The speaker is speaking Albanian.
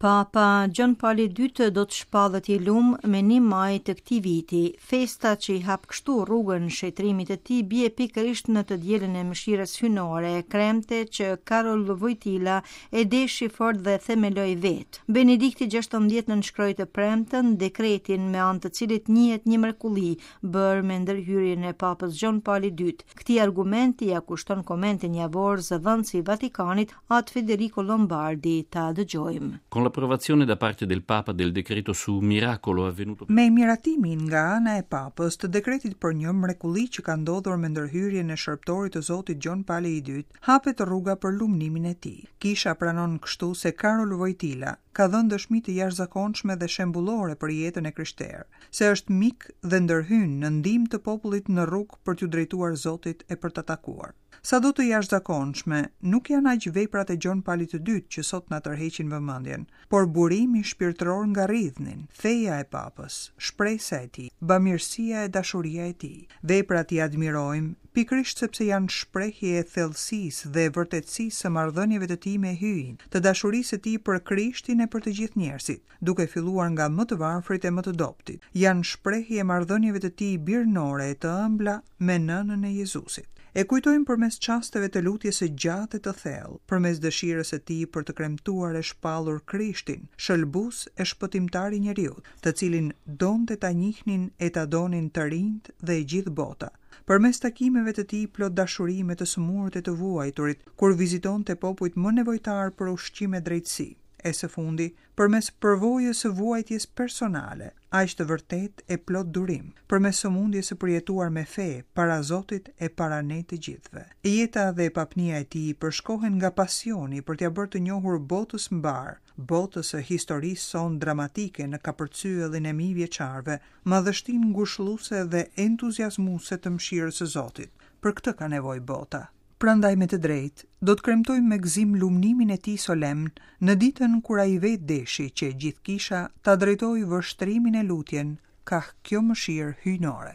Papa Gjon Pali i Dytë do të shpallet i lum me një maj të këtij viti. Festa që i hap kështu rrugën shenjtërimit të tij bie pikërisht në të dielën e mëshirës hyjnore, kremte që Karol Vojtila e deshi fort dhe themeloi vetë. Benedikti 16 nënshkroi të premten dekretin me anë të cilit njihet një mrekulli bërë me ndërhyrjen e Papës Gjon Pali i Dytë. Këtij argumenti ia kushton komentin javor zëdhënësi i Vatikanit At Federico Lombardi, ta dëgjojmë. Con l'approvazione da parte del Papa del decreto su un miracolo avvenuto Me miratimin nga ana e Papës të dekretit për një mrekulli që ka ndodhur me ndërhyrjen e shërbëtorit të Zotit Gjon Pali i Dytë, hapet rruga për lumnimin e tij. Kisha pranon kështu se Karol Vojtila ka dhënë dëshmi të jashtëzakonshme dhe shembullore për jetën e krishterë, se është mik dhe ndërhyn në ndihmë të popullit në rrugë për t'iu drejtuar Zotit e për ta takuar. Sado të jashtëzakonshme, nuk janë aq veprat e Gjon Palit të Dytë që sot na tërheqin vëmendjen, por burimi shpirtëror nga rridhnin, feja e Papës, shpresa e tij, bamirësia e dashuria e tij. Veprat i admirojmë, pikërisht sepse janë shprehje e thellësisë dhe e vërtetësisë së marrëdhënieve të tij me Hyjin, të dashurisë së tij për Krishtin e për të gjithë njerëzit, duke filluar nga më të varfrit e më të dobëtit. Janë shprehje e marrëdhënieve të tij birnore e të ëmbla me Nënën e Jezusit. E kujtojmë përmes çasteve të lutjes së gjatë e të thellë, përmes dëshirës së tij për të kremtuar e shpallur Krishtin, Shëlbues e Shpëtimtar i njeriut, të cilin donte ta njihnin e ta donin të rinjtë dhe e gjithë bota, përmes takimeve të tij plot dashuri me të sëmurët e të vuajturit, kur vizitonte popujt më nevojtarë për ushqim e drejtësi, e së fundi, përmes përvojës së vuajtjes personale, aq të vërtetë e plot durim, përmes sëmundjes së përjetuar me fe, para Zotit e para ne të gjithëve. Jeta dhe papnia e tij përshkohen nga pasioni për t'ia bërë të njohur botës mbarë, botës së historisë sonë dramatike në kapërcyellin e mijëvjeçarëve, madhështinë ngushëlluese dhe entuziazmuese të mëshirës së Zotit. Për këtë ka nevojë bota. Prandaj me të drejtë, do të kremtojmë me gëzim lumnimin e tij solemn në ditën kur ai vetë deshi që e gjithë kisha ta drejtojë vështrimin e lutjen kah kjo mëshirë hyjnore.